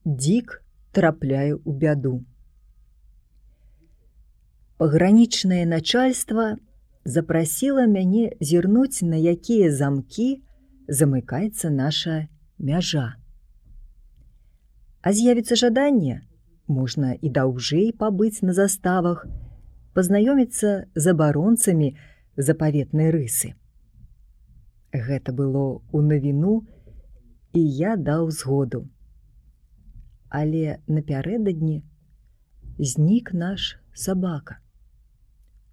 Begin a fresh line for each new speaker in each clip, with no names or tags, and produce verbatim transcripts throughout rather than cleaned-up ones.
Дик трапляе ў бяду. Пагранічнае начальства запрасіла мяне зірнуць, на якія замкі замыкаецца наша мяжа. А з'явіцца жаданне, можна і даўжэй пабыць на заставах, пазнаёміцца з абаронцамі запаветнай рысы. Гэта было ў навіну, і я даў згоду. Але напярэдадні знік наш сабака.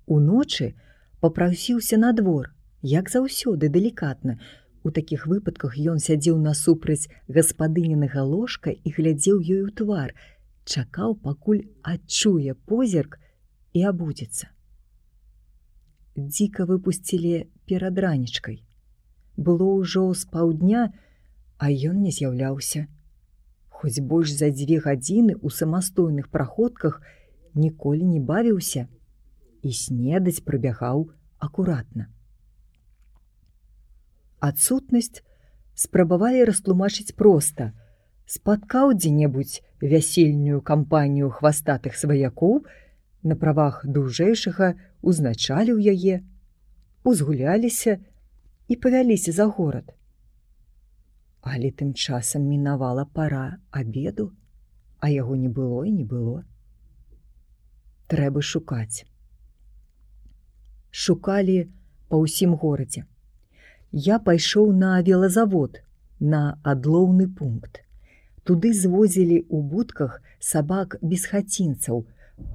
Уночы папрасіўся на двор, як заўсёды далікатна. У такіх выпадках ён сядзеў насупраць гаспадынінага ложка і глядзеў ёй у твар, чакаў, пакуль адчуе позірк і абудзіцца. Дзіка выпусцілі перад ранічкай. Было ўжо з паўдня, а ён не з'яўляўся. Хоць больш за дзве гадзіны ў самастойных праходках ніколі не бавіўся і снедаць прыбягаў акуратна. Адсутнасць спрабавалі растлумачыць проста. Спаткаў дзе-небудзь вясельную кампанію хвастатых сваякоў, на правах дужэйшага узначаліў яе, узгуляліся і павяліся за горад. Але тым часам мінавала пара абеду, а яго не было і не было. Трэба шукаць. Шукалі па ўсім горадзе. Я пайшоў на велазавод, на адлоўны пункт. Туды звозілі ў будках сабак безхацінцаў,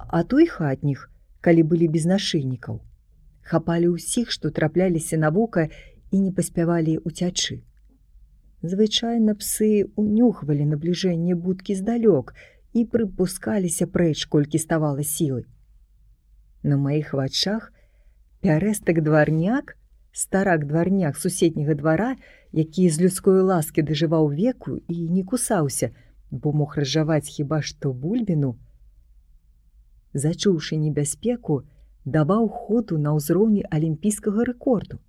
а то і хатніх, калі былі без нашыйнікаў. Хапалі ўсіх, што трапляліся на вока і не паспявалі ўцячы. Звычайна псы унюхвалі набліжэнне будкі здалёк і прыпускаліся прэч, колькі ставала сілы. На маіх вачах пярэстак дварняк, старак-дварняк суседняга двара, які з людской ласкі дажываў веку і не кусаўся, бо мог разжаваць хіба што бульбіну, зачуўшы небяспеку, даваў ходу на ўзроўні алімпійскага рэкорду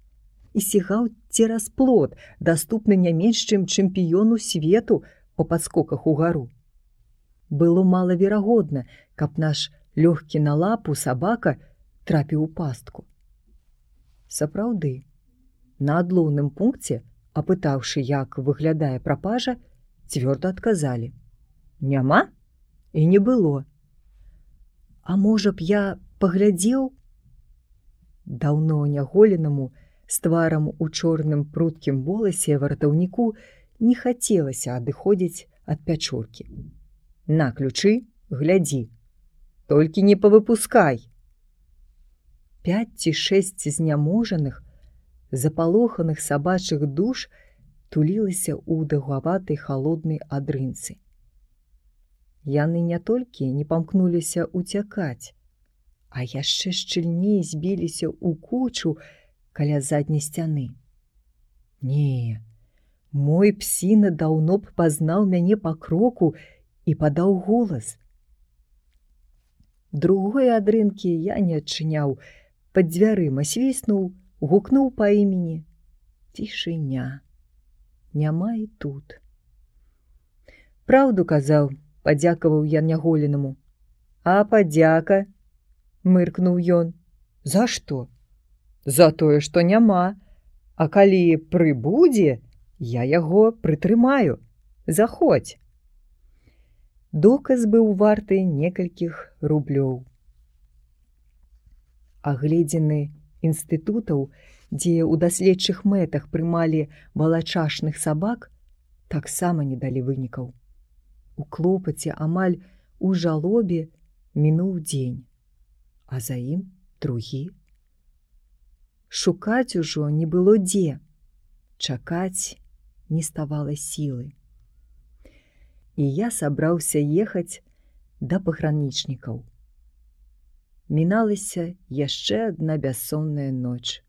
і сігаў цераз плот, даступны не менш, чым чэмпіёну свету па падскоках угару. Было малаверагодна, каб наш лёгкі на лапу сабака трапіў у пастку. Сапраўды, на адлоўным пункце, апытаўшы, як выглядае прапажа, цвёрда адказалі: «Няма і не было». А можа б я паглядзеў? Даўно няголенаму, з тварам у чорным пруткім воласе вартаўніку не хацелася адыходзіць ад пячоркі. «На ключы, глядзі, толькі не павыпускай». Пяць ці шэсць зняможаных, запалоханых сабачых душ тулілася ў даўгаватай халоднай адрынцы. Яны не толькі не памкнуліся ўцякаць, а яшчэ шчыльней збіліся ў кучу каля задняй сцяны. Не, мой псіна даўно б пазнаў мяне па кроку і падаў голас. Другой адрынкі я не адчыняў, пад дзвярыма свіснуў, гукнуў па імені. Цішыня. Няма і тут. Праўду казаў, падзякаваў я няголенаму. А падзяка? Мыркнуў ён. За што? За тое, што няма. А калі прыбудзе, я яго прытрымаю. Заходзь. Доказ быў варты некалькіх рублёў. Агледзіны інстытутаў, дзе ў даследчых мэтах прымалі валачашных сабак, таксама не далі вынікаў. У клопаце, амаль у жалобе мінуў дзень, а за ім другі. Шукаць ужо не было дзе, чакаць не ставала сілы. І я сабраўся ехаць да пагранічнікаў. Міналася яшчэ адна бяссонная ноч.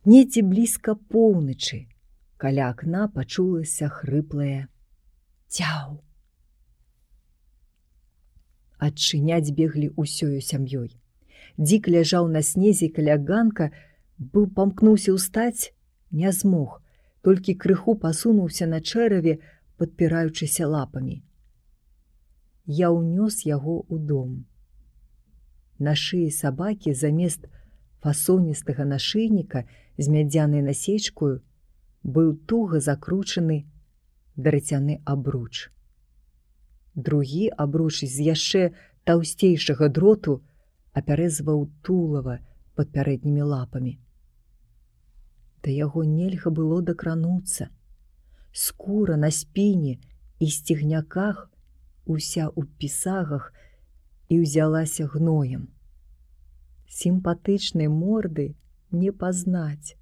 Недзе блізка поўначы каля акна пачулася хрыплае «Цяу». Адчыняць беглі ўсёю сям'ёй. Дзік ляжаў на снезе каля ганка, быў памкнуўся ўстаць, не змог, толькі крыху пасунуўся на чэраве, падпіраючыся лапамі. Я ўнёс яго ў дом. На шыі сабакі замест фасоністага нашыйніка з мядзянай насечкою быў туга закручаны драцяны абруч. Другі абруч з яшчэ таўсцейшага дроту апярэзваў тулава пад пярэднімі лапамі. Да яго нельга было дакрануцца. Скура на спіне і сцігняках уся ў пісагах і ўзялася гноем. Сімпатычнай морды не пазнаць,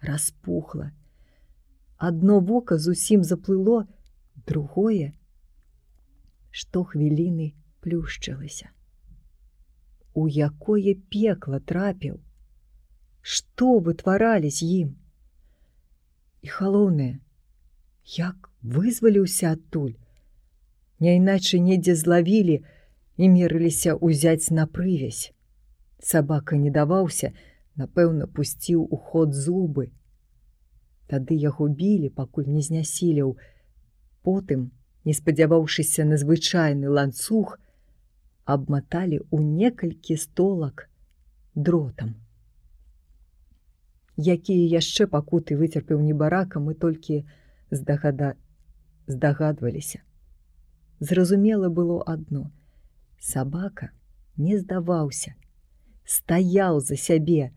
распухла. Адно вока зусім заплыло, другое штохвіліны плюшчылася. У якое пекла трапіў? Што вытваралі з ім? І галоўнае, як вызваліўся адтуль? Няйначай недзе злавілі і мерыліся ўзяць на прывязь. Сабака не даваўся, напэўна, пусціў у ход зубы. Тады яго білі, пакуль не знясілеў. Потым, не спадзяваўшыся на звычайны ланцуг, абматалі ў некалькі столак дротам. Якія яшчэ пакуты выцерпеў небарака, мы толькі здагада... здагадваліся. Зразумела было адно. Сабака не здаваўся, стаяў за сябе,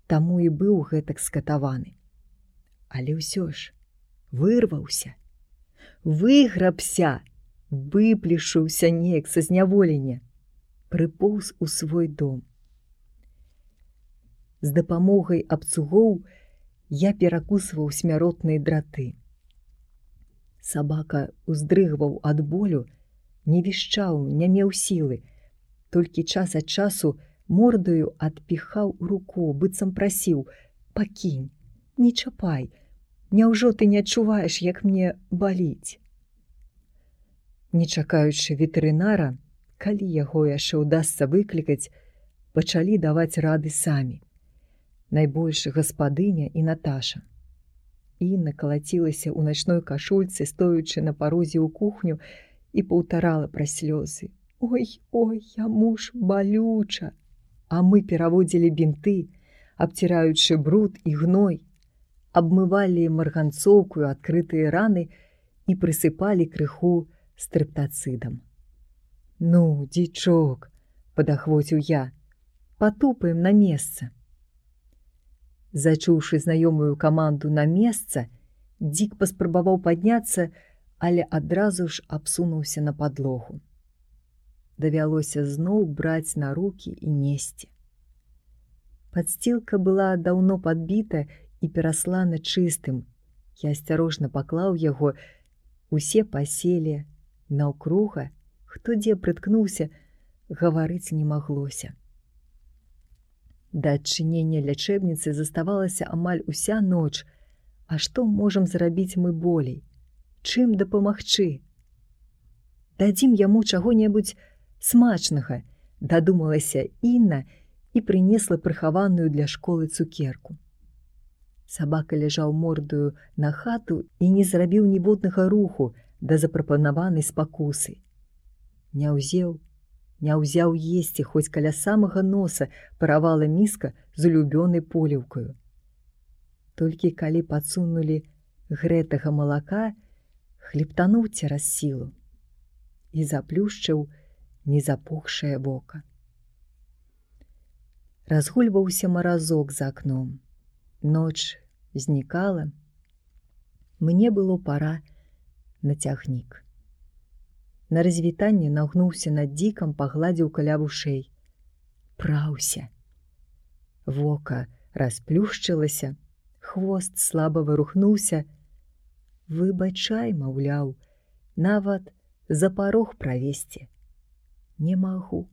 таму і быў гэтак скатаваны. Але ўсё ж вырваўся, выграбся, выплешыўся неяк са зняволення, прыпоўз у свой дом. З дапамогай абцугоў я перакусваў смяротныя драты. Сабака уздрыгваў ад болю, не вішчаў, не меў сілы, толькі час ад часу мордаю адпіхаў руку, быццам прасіў: «Пакінь, не чапай, няўжо ты не адчуваеш, як мне баліць?» Не чакаючы ветэрынара, калі яго яшчэ ўдасца выклікаць, пачалі даваць рады самі. Найбольш гаспадыня і Наташа. Інна калацілася ў начной кашульцы, стоючы на парозе ў кухню, і паўтарала пра слёзы: «Ой, ой, яму ж балюча!» А мы пераводзілі бінты, абціраючы бруд і гной, абмывалі марганцоўкаю адкрытыя раны і прысыпалі крыху стрыптацыдам. «Ну, дзічок!» – падахвоціў я. «Патупаем на месца!» Зачуўшы знаёмую каманду на месца, Дзік паспрабаваў падняцца, але адразу ж абсунуўся на падлогу. Давялося зноў браць на рукі і несці. Падсцілка была даўно падбіта і пераслана чыстым. Я асцярожна паклаў яго, усе паселі, наўкруга, хто дзе прыткнуўся, гаварыць не маглося. Да адчынення лячэбніцы заставалася амаль уся ноч. А што можам зрабіць мы болей? Чым дапамагчы? «Дадзім яму чаго-небудзь смачнага», – дадумалася Інна і прынесла прыхаваную для школы цукерку. Сабака ляжаў мордаю на хату і не зрабіў ніводнага руху да запрапанаванай спакусы. Не ўзеў, не ўзяў есці, хоць каля самага носа паравала міска з улюбёнай поліўкаю. Толькі калі падсунулі грэтага малака, хлептануў цераз сілу і заплюшчыў незапухшае вока. Разгульваўся маразок за акном. Ноч знікала. Мне было пара на цягнік. На развітанне нагнуўся над Дзікам, пагладзіў каля вушэй. Праўся. Вока расплюшчылася, хвост слаба вырухнуўся. Выбачай, маўляў, нават за парог правесці не магу.